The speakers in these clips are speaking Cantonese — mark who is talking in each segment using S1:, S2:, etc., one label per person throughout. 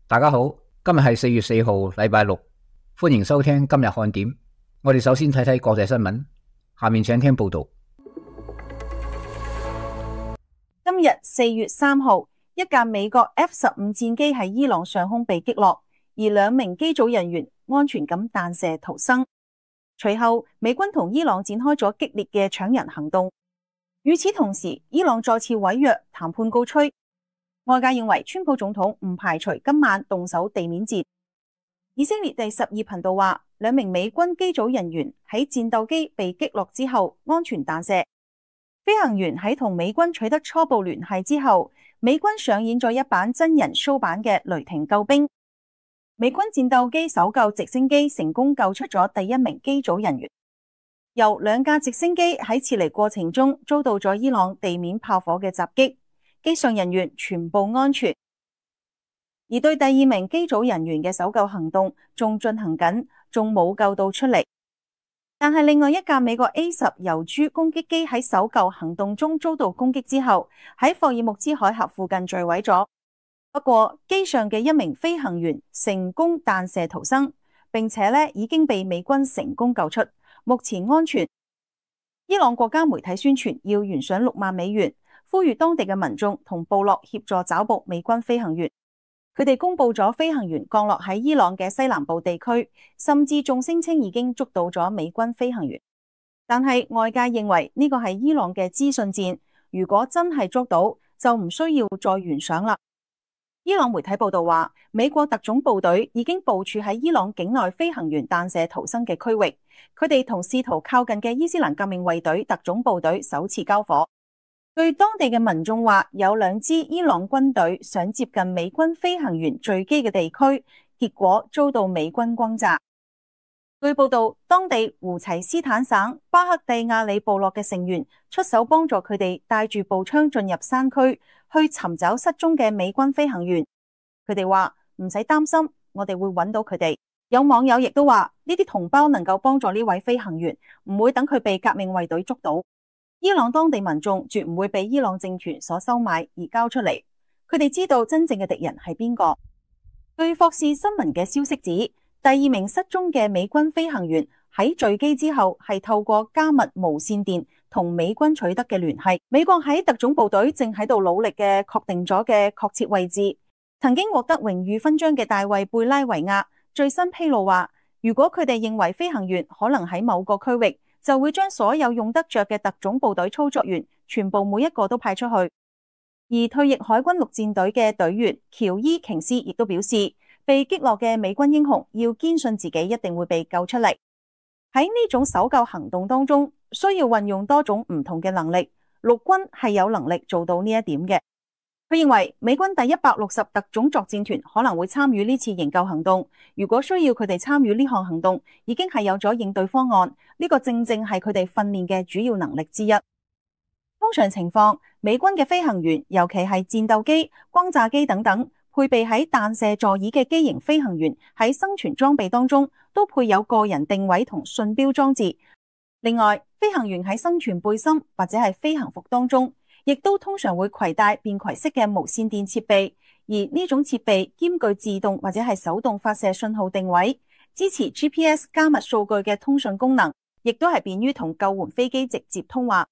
S1: 大家好，今日係4月4號，禮拜六，歡迎收聽今日看點。我哋首先睇睇國際新聞，下面請聽報道。
S2: 今日4月3號，一架美國 F-15 戰機喺伊朗上空被擊落，而2名機組人員安全咁彈射逃生。隨後，美軍同伊朗展開咗激烈嘅搶人行動。與此同時，伊朗再次毀約，談判告吹。外界認為川普總統唔排除今晚動手地面戰。以色列第12頻道話，2名美軍機組人員喺戰鬥機被擊落之後安全彈射。飛行員喺同美軍取得初步聯繫之後，美軍上演咗一版真人 show 版嘅雷霆救兵。美軍戰鬥機搜救直升機成功救出咗第1名機組人員。由2架直升機喺撤離過程中遭到咗伊朗地面炮火嘅襲擊。機上人員全部安全，而對第2名機組人員嘅搜救行動仲進行緊，仲冇救到出嚟。但係另外一架美國 A-10 遊豬攻擊機喺搜救行動中遭到攻擊之後，喺霍爾木茲海峽附近墜毀咗。不過機上嘅1名飛行員成功彈射逃生，並且已經被美軍成功救出，目前安全。伊朗國家媒體宣傳要懸賞6萬美元。呼籲當地嘅民眾同部落協助找捕美軍飛行員。佢哋公布咗飛行員降落喺伊朗嘅西南部地區，甚至仲聲稱已經捉到咗美軍飛行員。但係外界認為呢個係伊朗嘅資訊戰，如果真係捉到，就唔需要再懸賞啦。伊朗媒體報道話，美國特種部隊已經部署喺伊朗境內飛行員彈射逃生嘅區域，佢哋同試圖靠近嘅伊斯蘭革命衛隊特種部隊首次交火。據當地嘅民眾話，有2支伊朗軍隊想接近美軍飛行員墜機嘅地區，結果遭到美軍轟炸。據報道，當地胡齊斯坦省巴克蒂亞里部落嘅成員出手幫助佢哋帶住步槍進入山區，去尋找失蹤嘅美軍飛行員。佢哋話唔使擔心，我哋會揾到佢哋。有網友亦都話，呢啲同胞能夠幫助呢位飛行員，唔會等佢被革命衛隊捉到。伊朗當地民眾絕唔會被伊朗政權所收買而交出嚟，佢哋知道真正嘅敵人係邊個。據霍士新聞嘅消息指，第2名失蹤嘅美軍飛行員喺墜機之後係透過加密無線電同美軍取得嘅聯繫。美國喺特種部隊正喺度努力嘅確定咗嘅確切位置。曾經獲得榮譽勳章嘅大衛貝拉維亞最新披露話，如果佢哋認為飛行員可能喺某個區域，就會將所有用得着嘅特種部隊操作員全部每一個都派出去。而退役海軍陸戰隊嘅隊員喬伊瓊斯亦都表示，被擊落嘅美軍英雄要堅信自己一定會被救出嚟。喺呢種搜救行動當中，需要運用多種唔同嘅能力，陸軍係有能力做到呢一點嘅。佢認為美軍第160特種作戰團可能會參與呢次營救行動。如果需要佢哋參與呢項行動，已經係有咗應對方案。呢個正正係佢哋訓練嘅主要能力之一。通常情況，美軍嘅飛行員，尤其係戰鬥機、轟炸機等等，配備喺彈射座椅嘅機型飛行員喺生存裝備當中都配有個人定位同信標裝置。另外，飛行員喺生存背心或者係飛行服當中，亦都通常會攜帶便攜式嘅無線電設備，而呢種設備兼具自動或者係手動發射信號定位，支持 GPS 加密數據嘅通訊功能，亦都係便於同救援飛機直接通話。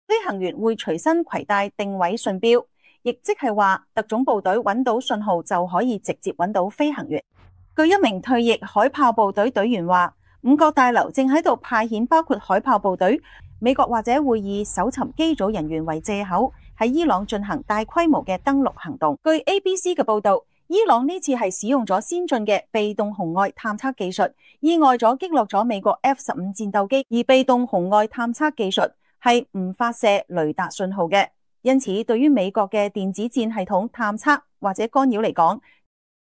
S2: 飛行員會隨身攜帶定位信標，亦即係話特種部隊揾到信號就可以直接揾到飛行員。據1名退役海豹部隊隊員話，5角大樓正喺度派遣包括海豹部隊。美國或者會以搜尋機組人員為借口，喺伊朗進行大規模嘅登陸行動。據 ABC 嘅報道，伊朗呢次係使用咗先進嘅被動紅外探測技術，意外咗擊落咗美國 F-15 戰鬥機。而被動紅外探測技術係唔發射雷達信號嘅，因此對於美國嘅電子戰系統探測或者干擾嚟講，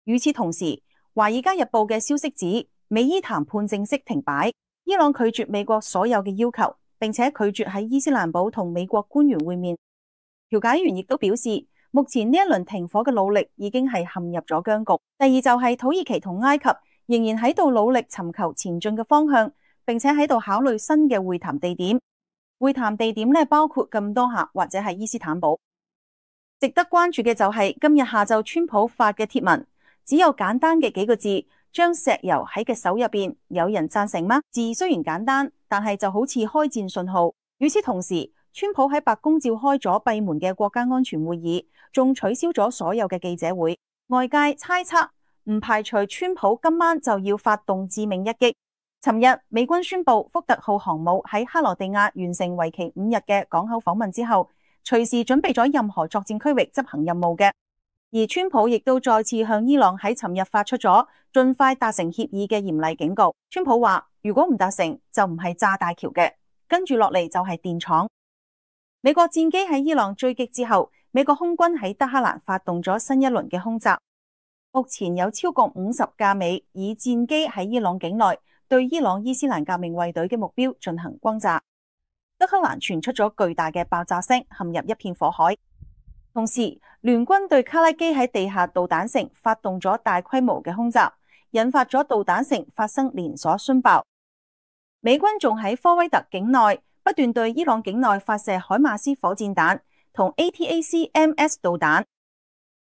S2: 與此同時，《華爾街日報》嘅消息指，美伊談判正式停擺，伊朗拒絕美國所有嘅要求。並且拒絕喺伊斯蘭堡同美國官員會面。調解員亦都表示，目前呢一輪停火嘅努力已經係陷入咗僵局。第二就係土耳其同埃及仍然喺度努力尋求前進嘅方向，並且喺度考慮新嘅會談地點。會談地點包括咁多下或者係伊斯坦堡。值得關注嘅就係今日下晝川普發嘅貼文，只有簡單嘅幾個字，將石油喺嘅手入邊，有人贊成嗎？字雖然簡單，但係就好似開戰信號。與此同時，川普喺白宮召開咗閉門嘅國家安全會議，仲取消咗所有嘅記者會。外界猜測唔排除川普今晚就要發動致命一擊。尋日美軍宣布福特號航母喺克羅地亞完成為期5日嘅港口訪問之後，隨時準備咗任何作戰區域執行任務嘅。而川普亦都再次向伊朗喺尋日發出咗盡快達成協議嘅嚴厲警告。川普話如果唔達成就唔係炸大橋嘅，跟住落嚟就係電廠。美國戰機喺伊朗追擊之後，美國空軍喺德黑蘭發動咗新一輪嘅空襲。目前有超過50架美以戰機喺伊朗境內對伊朗伊斯蘭革命衛隊嘅目標進行轟炸。德黑蘭傳出咗巨大嘅爆炸聲，陷入一片火海。同時，聯軍對卡拉基喺地下導彈城發動咗大規模嘅空襲，引發咗導彈城發生連鎖殉爆。美軍仲喺科威特境內不斷對伊朗境內發射海馬斯火箭彈同 ATACMS 導彈。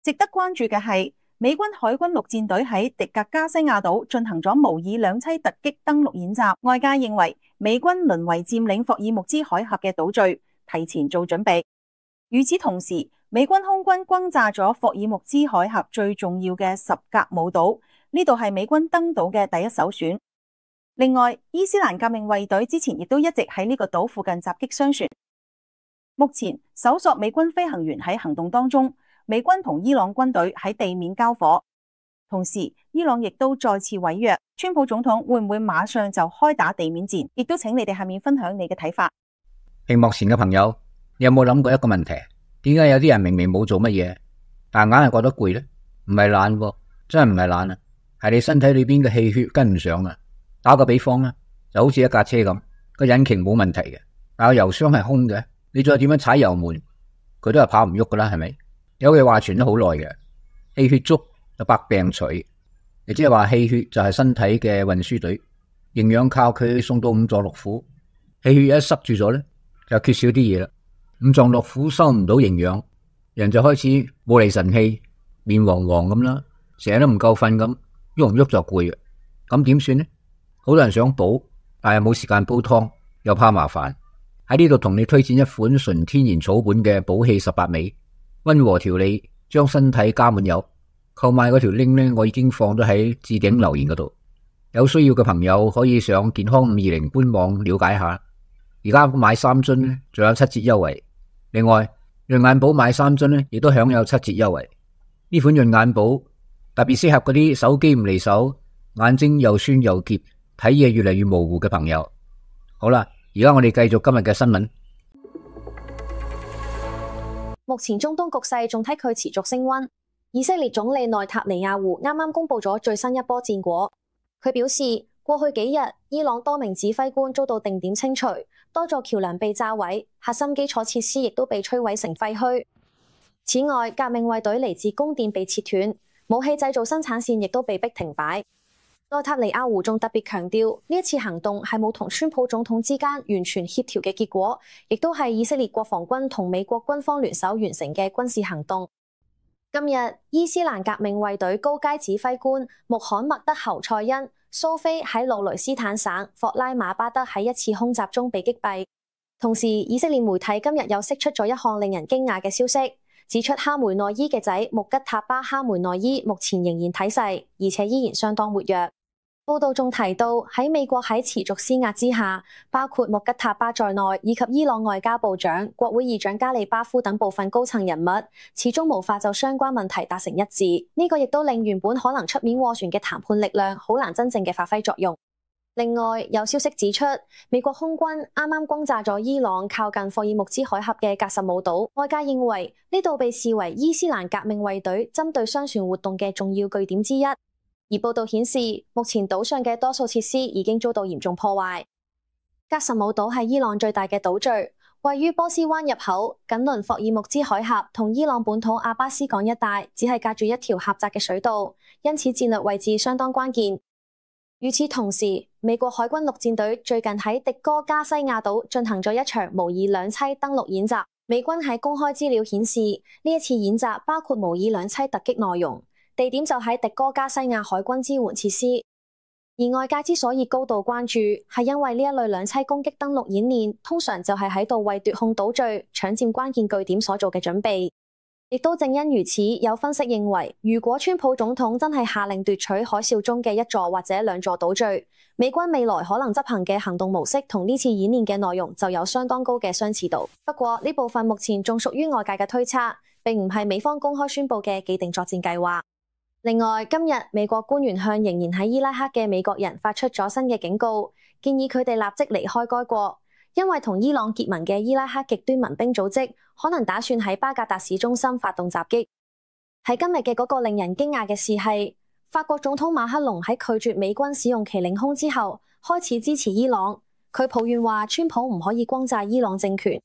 S2: 值得關注嘅係，美軍海軍陸戰隊喺迪格加西亞島進行咗模擬兩棲突擊登陸演習。外界認為美軍淪為佔領霍爾木茲海峽嘅島嶼，提前做準備。與此同時，美軍空軍轟炸咗霍爾木茲海峽最重要嘅什格姆島，呢度係美軍登島嘅第一首選。另外，伊斯蘭革命衛隊之前亦都一直喺呢個島附近襲擊商船。目前搜索美軍飛行員喺行動當中，美軍同伊朗軍隊喺地面交火，同時伊朗亦都再次違約。川普總統會唔會馬上就開打地面戰？亦都請你哋下面分享你嘅睇法。
S1: 屏幕前嘅朋友，你有冇諗過一個問題？點解有啲人明明冇做乜嘢，但硬係覺得攰呢？唔係懶喎，真係唔係懶啊，係你身體裏邊嘅氣血跟唔上啊。打個比方啦，就好似一架車咁，個引擎冇問題嘅，但個油箱係空嘅，你再點樣踩油門，佢都係跑唔喐噶啦，係咪？有句話傳咗好耐嘅，氣血足就百病除，亦即係話氣血就係身體嘅運輸隊，營養靠佢送到五臟六腑，氣血一塞住咗咧，就缺少啲嘢啦。五臟六腑收唔到營養，人就開始冇厘神氣，面黃黃咁啦，成日都唔夠瞓咁，喐唔喐就攰嘅。咁點算呢？好多人想補，但係冇時間煲湯，又怕麻煩。喺呢度同你推薦一款純天然草本嘅補氣18味，溫和調理，將身體加滿油。購買嗰條 link 呢，我已經放咗喺置頂留言嗰度，有需要嘅朋友可以上健康520官網了解下。而家買3樽呢，仲有7折優惠。另外，潤眼寶買3樽呢，亦都享有7折優惠。呢款潤眼寶特別適合嗰啲手機唔離手、眼睛又酸又澀、睇嘢越嚟越模糊嘅朋友。好啦，而家我哋繼續今日嘅新聞。
S3: 目前中東局勢仲睇佢持續升溫。以色列總理內塔尼亞胡啱啱公布咗最新一波戰果。佢表示，過去幾日伊朗多名指揮官遭到定點清除，多座橋樑被炸毀，核心基礎設施亦都被摧毀成廢墟。此外，革命衛隊嚟自宮殿被切斷，武器製造生產線亦都被逼停擺。內塔尼亞胡仲特別強調，呢一次行動係冇同川普總統之間完全協調嘅結果，亦都係以色列國防軍同美國軍方聯手完成嘅軍事行動。今日，伊斯蘭革命衛隊高階指揮官穆罕默德侯賽因蘇菲喺路雷斯坦省霍拉馬巴德喺一次空襲中被擊斃。同時，以色列媒體今日又釋出咗一項令人驚訝嘅消息，指出哈梅內伊嘅仔穆吉塔巴哈梅內伊目前仍然體世，而且依然相當活躍。報道仲提到，喺美國喺持續施壓之下，包括穆吉塔巴在內，以及伊朗外交部長、國會議長加利巴夫等部分高層人物，始終無法就相關問題達成一致。呢個亦都令原本可能出面斡旋嘅談判力量好難真正嘅發揮作用。另外，有消息指出，美國空軍啱啱轟炸咗伊朗靠近霍爾木茲海峽嘅格什姆島，外界認為呢度被視為伊斯蘭革命衛隊針對商船活動嘅重要據點之一。而報道顯示，目前島上嘅多數設施已經遭到嚴重破壞。格什姆島係伊朗最大嘅島嶼，位於波斯灣入口，緊鄰霍爾木茲海峽同伊朗本土阿巴斯港一帶，只係隔住一條狹窄嘅水道，因此戰略位置相當關鍵。與此同時，美國海軍陸戰隊最近喺迪哥加西亞島進行咗一場模擬兩棲登陸演習。美軍喺公開資料顯示，呢一次演習包括模擬兩棲突擊內容。地點就喺迪戈加西亞海軍支援設施。而外界之所以高度關注，係因為呢一類兩棲攻擊登陸演練，通常就係喺度為奪控島嶼、搶佔關鍵據點所做嘅準備。亦都正因如此，有分析認為，如果川普總統真係下令奪取海嘯中嘅一座或者兩座島嶼，美軍未來可能執行嘅行動模式同呢次演練嘅內容就有相當高嘅相似度。不過呢部分目前仲屬於外界嘅推測，並唔係美方公開宣佈嘅既定作戰計劃。另外，今日美國官員向仍然喺伊拉克嘅美國人發出咗新嘅警告，建議佢哋立即離開該國，因為同伊朗結盟嘅伊拉克極端民兵組織可能打算喺巴格達市中心發動襲擊。喺今日嘅嗰個令人驚訝嘅事係，法國總統馬克龍喺拒絕美軍使用其領空之後，開始支持伊朗。佢抱怨話，川普唔可以轟炸伊朗政權。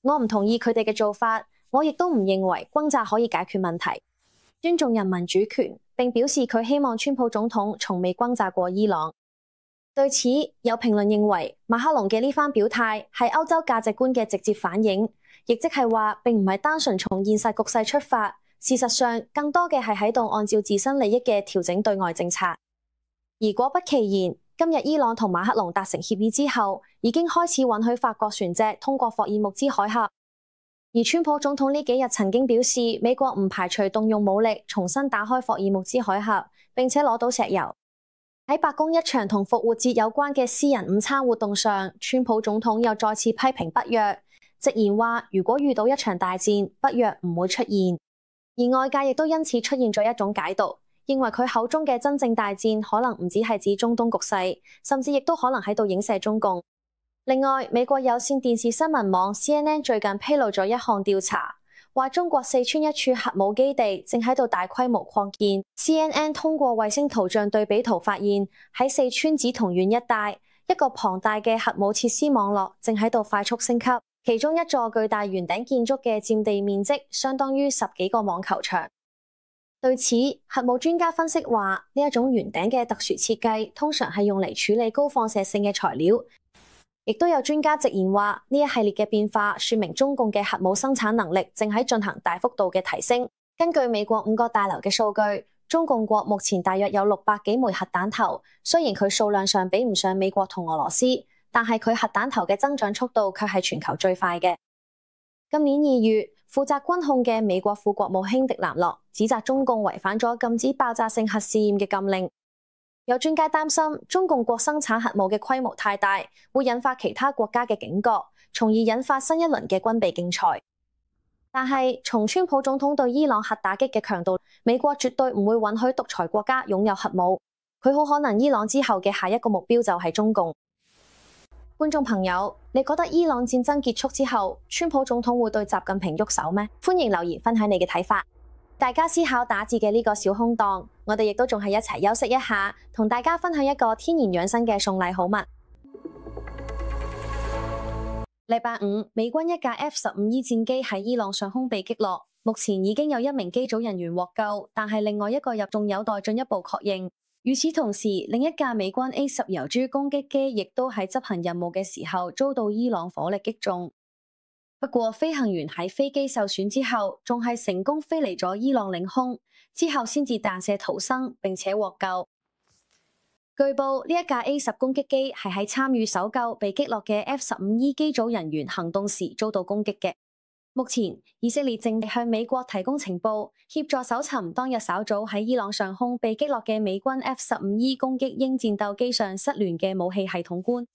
S3: 我唔同意佢哋嘅做法，我亦都唔認為轟炸可以解決問題。尊重人民主權，並表示佢希望川普總統從未轟炸過伊朗。對此，有評論認為馬克龍嘅呢番表態係歐洲價值觀嘅直接反映，亦即係話並唔係單純從現實局勢出發，事實上更多嘅係喺度按照自身利益嘅調整對外政策。而果不其然，今日伊朗同馬克龍達成協議之後，已經開始允許法國船隻通過霍爾木茲海峽。而川普總統呢幾日曾經表示，美國唔排除動用武力重新打開霍爾木茲海峽，並且攞到石油。喺白宮一場同復活節有關嘅私人午餐活動上，川普總統又再次批評北約，直言話如果遇到一場大戰，北約唔會出現。而外界亦都因此出現咗一種解讀，認為佢口中嘅真正大戰可能唔只係指中東局勢，甚至亦都可能喺度影射中共。另外，美國有線電視新聞網 CNN 最近披露咗一項調查，話中國四川一處核武基地正喺度大規模擴建。CNN 通過衛星圖像對比圖發現，喺四川梓桐縣一帶，一個龐大嘅核武設施網絡正喺度快速升級，其中一座巨大圓頂建築嘅佔地面積相當於10幾個網球場。對此，核武專家分析話，呢一種圓頂嘅特殊設計通常係用嚟處理高放射性嘅材料。亦都有專家直言話，呢一系列嘅變化說明中共嘅核武生產能力正喺進行大幅度嘅提升。根據美國5個大樓嘅數據，中共國目前大約有600幾枚核彈頭，雖然佢數量上比唔上美國同俄羅斯，但係佢核彈頭嘅增長速度卻係全球最快嘅。今年2月，負責軍控嘅美國副國務卿迪南洛指責中共違反咗禁止爆炸性核試驗嘅禁令。有專家擔心，中共國生產核武嘅規模太大，會引發其他國家嘅警覺，從而引發新一輪嘅軍備競賽。但係，從川普總統對伊朗核打擊嘅強度，美國絕對唔會允許獨裁國家擁有核武。佢好可能伊朗之後嘅下一個目標就係中共。觀眾朋友，你覺得伊朗戰爭結束之後，川普總統會對習近平喐手咩？歡迎留言分享你嘅睇法。大家思考打字嘅呢個小空檔，我哋亦都仲係一齊休息一下，同大家分享一個天然養生嘅送禮好物。禮拜五，美軍一架 F-15E 戰機喺伊朗上空被擊落，目前已經有1名機組人員獲救，但係另外一個仲有待進一步確認。與此同時，另一架美軍 A-10 遊珠攻擊機亦都喺執行任務嘅時候遭到伊朗火力擊中。不過，飛行員喺飛機受損之後，仲係成功飛離咗伊朗領空，之後先至彈射逃生，並且獲救。據報，呢一架 A-10 攻擊機係喺參與搜救被擊落嘅 F-15E 機組人員行動時遭到攻擊嘅。目前，以色列正向美國提供情報，協助搜尋當日稍早喺伊朗上空被擊落嘅美軍 F-15E 攻擊鷹戰鬥機上失聯嘅武器系統官。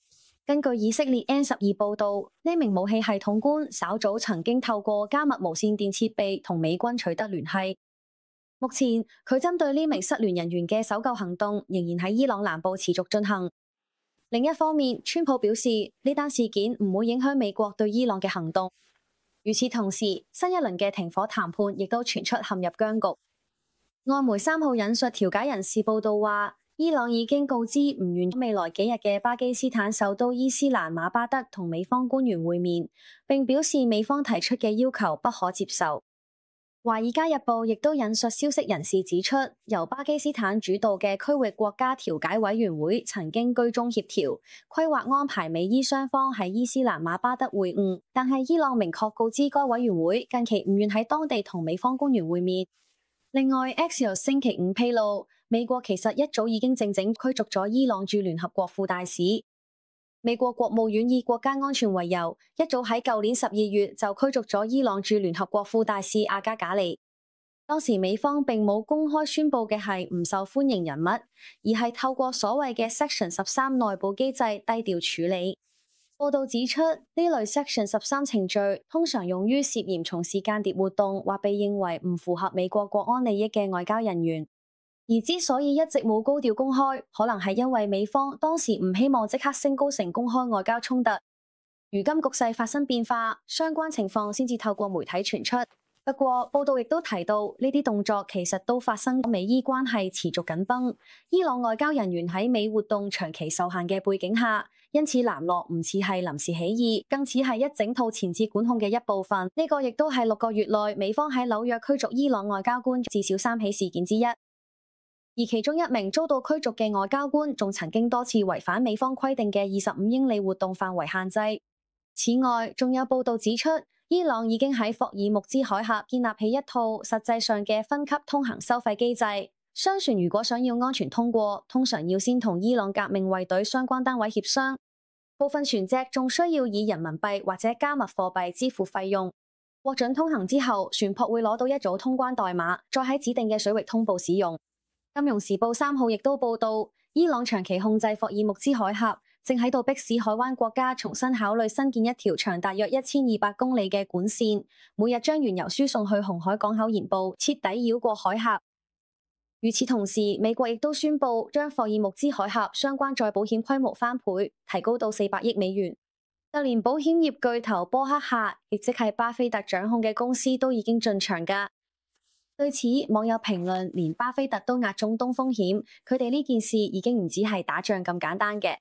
S3: 根據以色列 N12 報道，呢名武器系統官稍早曾經透過加密無線電設備同美軍取得聯繫。目前，佢針對呢名失聯人員嘅搜救行動仍然喺伊朗南部持續進行。另一方面，川普表示呢單事件唔會影響美國對伊朗嘅行動。與此同時，新一輪嘅停火談判亦都傳出陷入僵局。外媒3號引述調解人士報道話，伊朗已經告知唔願未來幾日嘅巴基斯坦首都伊斯蘭馬巴德同美方官員會面，並表示美方提出嘅要求不可接受。華爾街日報亦都引述消息人士指出，由巴基斯坦主導嘅區域國家調解委員會曾經居中協調，規劃安排美伊雙方喺伊斯蘭馬巴德會晤，但係伊朗明確告知該委員會近期唔願喺當地同美方官員會面。另外 ，Axios 星期五披露，美國其實一早已經靜靜驅逐咗伊朗駐聯合國副大使。美國國務院以國家安全為由，一早喺舊年12月就驅逐咗伊朗駐聯合國副大使阿加賈尼。當時美方並冇公開宣佈嘅係唔受歡迎人物，而係透過所謂嘅 Section 13內部機制低調處理。報道指出，呢類 Section 13程序通常用於涉嫌從事間諜活動或被認為唔符合美國國安利益嘅外交人員。而之所以一直冇高調公開，可能係因為美方當時唔希望即刻升高成公開外交衝突。如今局勢發生變化，相關情況先至透過媒體傳出。不過，報道亦都提到，呢啲動作其實都發生美伊關係持續緊繃，伊朗外交人員喺美活動長期受限嘅背景下，因此南落唔似係臨時起意，更似係一整套前置管控嘅一部分。呢個亦都係6個月內美方喺紐約驅逐伊朗外交官至少3起事件之一。而其中一名遭到驅逐嘅外交官，仲曾經多次違反美方規定嘅25英里活動範圍限制。此外，仲有報道指出，伊朗已經喺霍爾木茲海峽建立起一套實際上嘅分級通行收費機制。商船如果想要安全通過，通常要先同伊朗革命衛隊相關單位協商。部分船隻仲需要以人民幣或者加密貨幣支付費用。獲准通行之後，船舶會攞到一組通關代碼，再喺指定嘅水域通報使用。金融時報3號亦都報道，伊朗長期控制霍爾木茲海峽，正喺度迫使海灣國家重新考慮新建一條長大約1200公里嘅管線，每日將原油輸送去紅海港口沿部，徹底繞過海峽。與此同時，美國亦都宣布將霍爾木茲海峽相關再保險規模翻倍，提高到400億美元。就連保險業巨頭波克夏，亦即係巴菲特掌控嘅公司，都已經進場㗎。對此，網友評論，連巴菲特都押中東風險，佢哋呢件事已經唔止係打仗咁簡單嘅。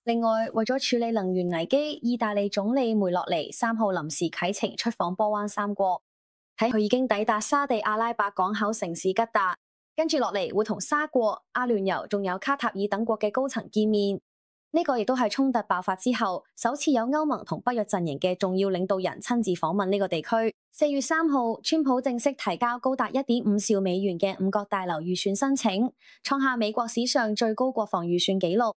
S3: 另外，為咗處理能源危機，意大利總理梅洛尼3號臨時啟程出訪波灣三國，喺佢已經抵達沙地阿拉伯港口城市吉達，跟住落嚟會同沙國、阿聯酋仲有卡塔爾等國嘅高層見面。呢個亦都係衝突爆發之後首次有歐盟同北約陣營嘅重要領導人親自訪問呢個地區。4月3號，川普正式提交高達1.5兆美元嘅五角大樓預算申請，創下美國史上最高國防預算紀錄。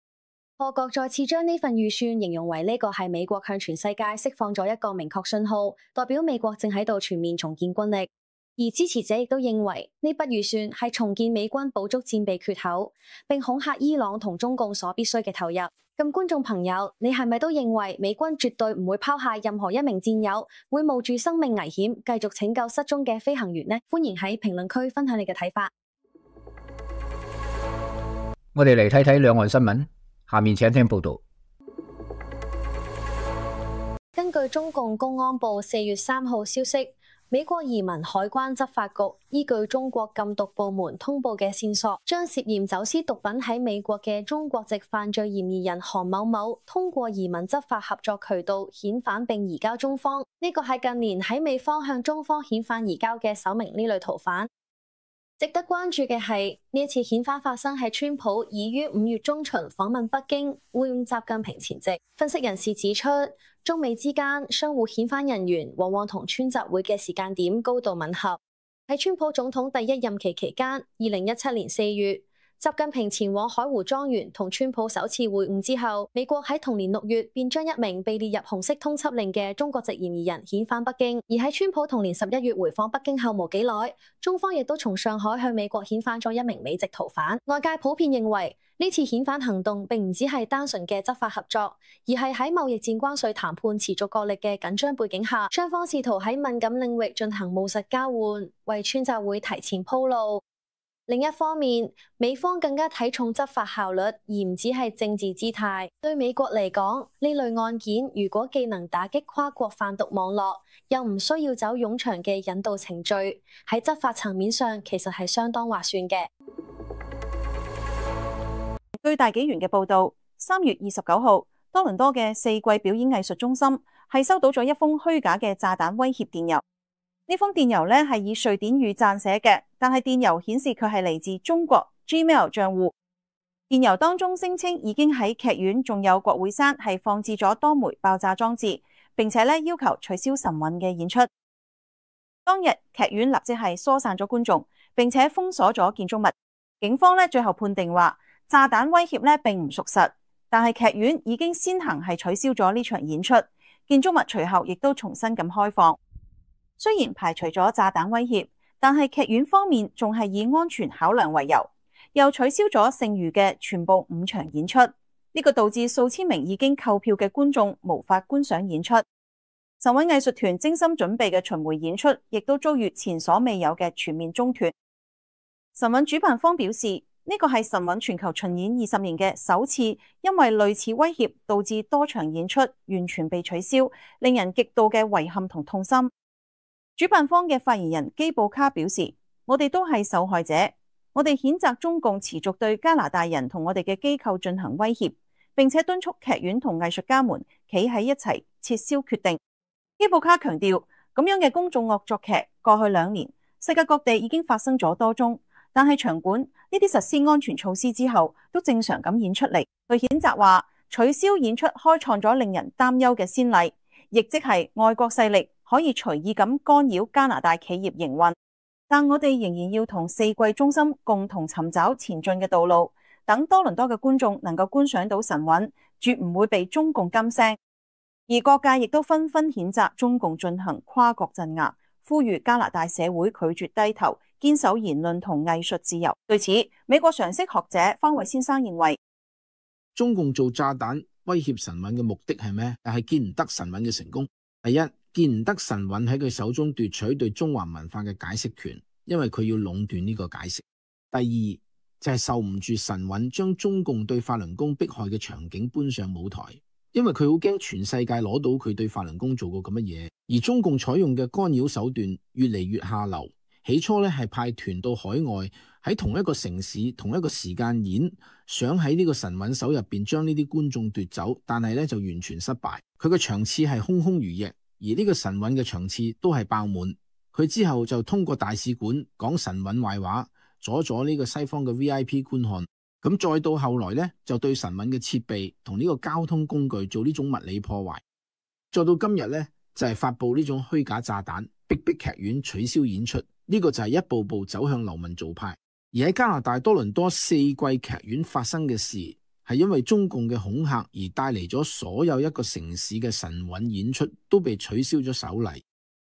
S3: 賀國再次將呢份預算形容為呢個係美國向全世界釋放咗一個明確信號，代表美國正喺度全面重建軍力。而支持者亦都認為呢筆預算係重建美軍補足戰備缺口，並恐嚇伊朗同中共所必須嘅投入。咁觀眾朋友，你係咪都認為美軍絕對唔會拋下任何一名戰友，會冒住生命危險繼續拯救失蹤嘅飛行員呢？歡迎喺評論區分享你嘅睇法。
S1: 我哋嚟睇睇兩岸新聞，下面請聽報道。
S3: 根據中共公安部4月3號消息，美國移民海關執法局依據中國禁毒部門通報嘅線索，將涉嫌走私毒品喺美國嘅中國籍犯罪嫌疑人韓某某通過移民執法合作渠道遣返並移交中方。呢個係近年喺美方向中方遣返移交嘅首名呢類逃犯。值得關注嘅係，呢一次遣返發生喺川普已於5月中旬訪問北京會晤習近平前夕。分析人士指出，中美之間相互遣返人員往往同川習會嘅時間點高度吻合。喺川普總統第一任期期間，2017年4月，習近平前往海湖莊園同川普首次會晤之後，美國喺同年6月便將一名被列入紅色通緝令嘅中國籍嫌疑人遣返北京。而喺川普同年11月回訪北京後冇幾耐，中方亦都從上海向美國遣返咗一名美籍逃犯。外界普遍認為，呢次遣返行動並唔只係單純嘅執法合作，而係喺貿易戰關稅談判持續角力嘅緊張背景下，雙方試圖喺敏感領域進行務實交換，為川習會提前鋪路。另一方面，美方更加睇重執法效率，而唔只係政治姿態。對美國嚟講，呢類案件如果既能打擊跨國販毒網絡，又唔需要走冗長嘅引渡程序，喺執法層面上其實係相當划算嘅。
S2: 據大紀元嘅報道，3月29號，多倫多嘅4季表演藝術中心係收到咗一封虛假嘅炸彈威脅電郵。呢封電郵係以瑞典語撰寫嘅，但係電郵顯示佢係嚟自中國 Gmail 賬戶。電郵當中聲稱已經喺劇院仲有國會山係放置咗多枚爆炸裝置，並且要求取消神韻嘅演出。當日劇院立即係疏散咗觀眾，並且封鎖咗建築物。警方最後判定話，炸彈威脅並唔屬實，但係劇院已經先行係取消咗呢場演出，建築物隨後亦都重新咁開放。雖然排除咗炸彈威脅，但係劇院方面仲係以安全考量為由，又取消咗剩餘嘅全部5場演出。呢個導致數千名已經購票嘅觀眾無法觀賞演出。神韻藝術團精心準備嘅巡迴演出，亦都遭遇前所未有嘅全面中斷。神韻主辦方表示，呢個係神韻全球巡演20年嘅首次，因為類似威脅導致多場演出完全被取消，令人極度嘅遺憾同痛心。主辦方嘅發言人基布卡表示，我哋都係受害者，我哋譴責中共持續對加拿大人同我哋嘅機構進行威脅，並且敦促劇院同藝術家們企喺一齊撤銷決定。基布卡強調，咁樣嘅公眾惡作劇過去2年，世界各地已經發生咗多宗，但係場館呢啲實施安全措施之後，都正常咁演出嚟。佢譴責話，取消演出開創咗令人擔憂嘅先例，亦即係外國勢力可以隨意咁干擾加拿大企業營運。但我哋仍然要同四季中心共同尋找前進嘅道路，等多倫多嘅觀眾能夠觀賞到神韻，絕唔會被中共禁聲。而各界亦都紛紛譴責中共進行跨國鎮壓，呼籲加拿大社會拒絕低頭，堅守言論同藝術自由。對此，美國常識學者方偉先生認為，
S4: 中共做炸彈威脅神韻嘅目的係咩？係見唔得神韻嘅成功。第一，見唔得神韻喺佢手中奪取對中華文化嘅解釋權，因為佢要壟斷呢個解釋。第二，就係受唔住神韻將中共對法輪功迫害嘅場景搬上舞台。因為佢好驚全世界攞到佢對法輪功做過咁乜嘢，而中共採用嘅干擾手段越嚟越下流。起初係派團到海外，喺同一個城市同一個時間演，想喺呢個神韻手入邊將呢啲觀眾奪走，但係就完全失敗。佢嘅場次係空空如也，而呢個神韻嘅場次都係爆滿。佢之後就通過大使館講神韻壞話，阻咗呢個西方嘅 VIP 觀看。咁再到後來就對神韻嘅設備同呢個交通工具做呢種物理破壞。再到今日就係發佈呢種虛假炸彈，逼劇院取消演出。呢個就係一步步走向流氓做派。而喺加拿大多倫多4季劇院發生嘅事，係因為中共嘅恐嚇而帶嚟咗所有一個城市嘅神韻演出都被取消咗首例。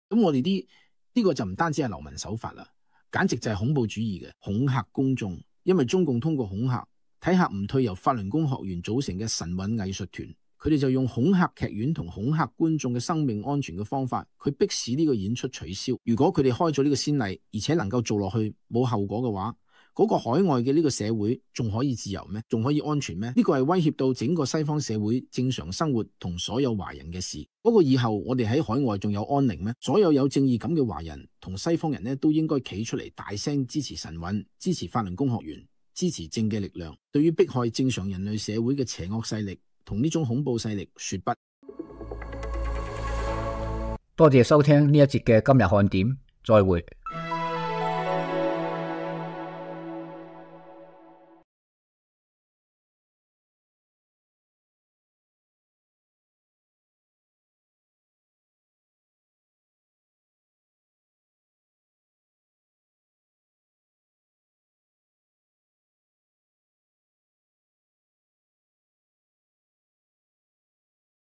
S4: 咁我哋呢個就唔單止係流氓手法啦，簡直就係恐怖主義嘅恐嚇公眾。因為中共通過恐嚇，睇下唔退由法輪功學員組成嘅神韻藝術團，佢哋就用恐嚇劇院同恐嚇觀眾嘅生命安全嘅方法，佢迫使呢個演出取消。如果佢哋開咗呢個先例，而且能夠做落去冇後果嘅話，嗰個海外嘅呢個社會仲可以自由咩？仲可以安全咩？呢個係威脅到整個西方社會正常生活同所有華人嘅事。不過以後我哋喺海外仲有安寧咩？所有有正義感嘅華人同西方人都應該企出嚟大聲支持神韻，支持法輪功學員，支持正嘅力量，對於迫害正常人類社會嘅邪惡勢力同呢種恐怖勢力說不。
S1: 多謝收聽呢一節嘅今日看點，再會。